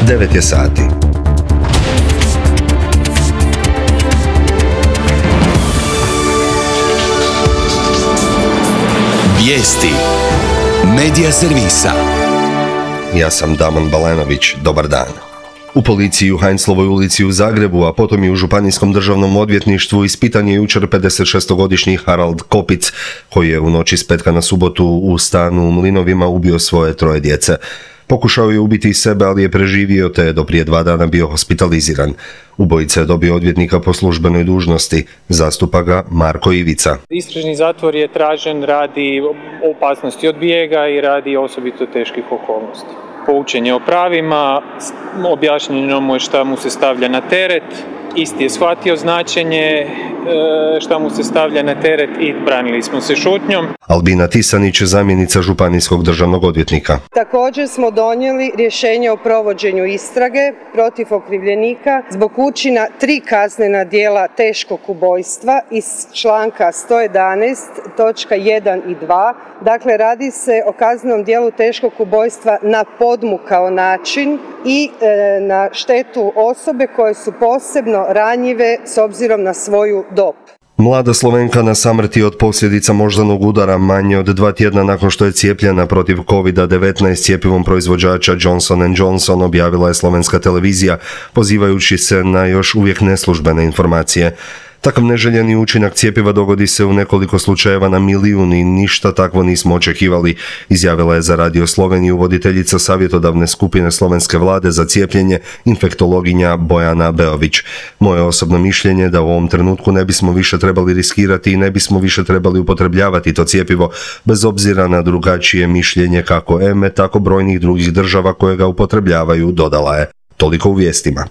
9 je sati. Vijesti Medija servisa. Ja sam Damon Balenović, dobar dan. U policiji u Heinzlovoj ulici u Zagrebu, a potom i u Županijskom državnom odvjetništvu ispitan je jučer 56-godišnji Harald Kopic, koji je u noći s petka na subotu u stanu u Mlinovima ubio svoje 3 djece. Pokušao je ubiti i sebe, ali je preživio te je do prije 2 dana bio hospitaliziran. Ubojica je dobio odvjetnika po službenoj dužnosti. Zastupa ga Marko Ivica. Istražni zatvor je tražen radi opasnosti od bijega i radi osobito teških okolnosti. Poučen je o pravima, objašnjeno mu je šta mu se stavlja na teret, isti je shvatio značenje šta mu se stavlja na teret i branili smo se šutnjom. Albina Tisanić, zamjenica županijskog državnog odvjetnika. Također smo donijeli rješenje o provođenju istrage protiv okrivljenika zbog učina 3 kaznena djela teškog ubojstva iz članka 111 točka 1 i 2. Dakle, radi se o kaznenom djelu teškog ubojstva na podmukao način i na štetu osobe koje su posebno ranjive s obzirom na svoju dob. Mlada Slovenka na samrti od posljedica moždanog udara manje od 2 tjedna nakon što je cijepljena protiv COVID-19 cjepivom proizvođača Johnson & Johnson, objavila je slovenska televizija, pozivajući se na još uvijek neslužbene informacije. Takav neželjeni učinak cjepiva dogodi se u nekoliko slučajeva na milijun i ništa takvo nismo očekivali, izjavila je za Radio Sloveniju voditeljica savjetodavne skupine slovenske vlade za cijepljenje, infektologinja Bojana Beović. Moje osobno mišljenje da u ovom trenutku ne bismo više trebali riskirati i ne bismo više trebali upotrebljavati to cjepivo, bez obzira na drugačije mišljenje kako EME, tako brojnih drugih država koje ga upotrebljavaju, dodala je. Toliko u vijestima.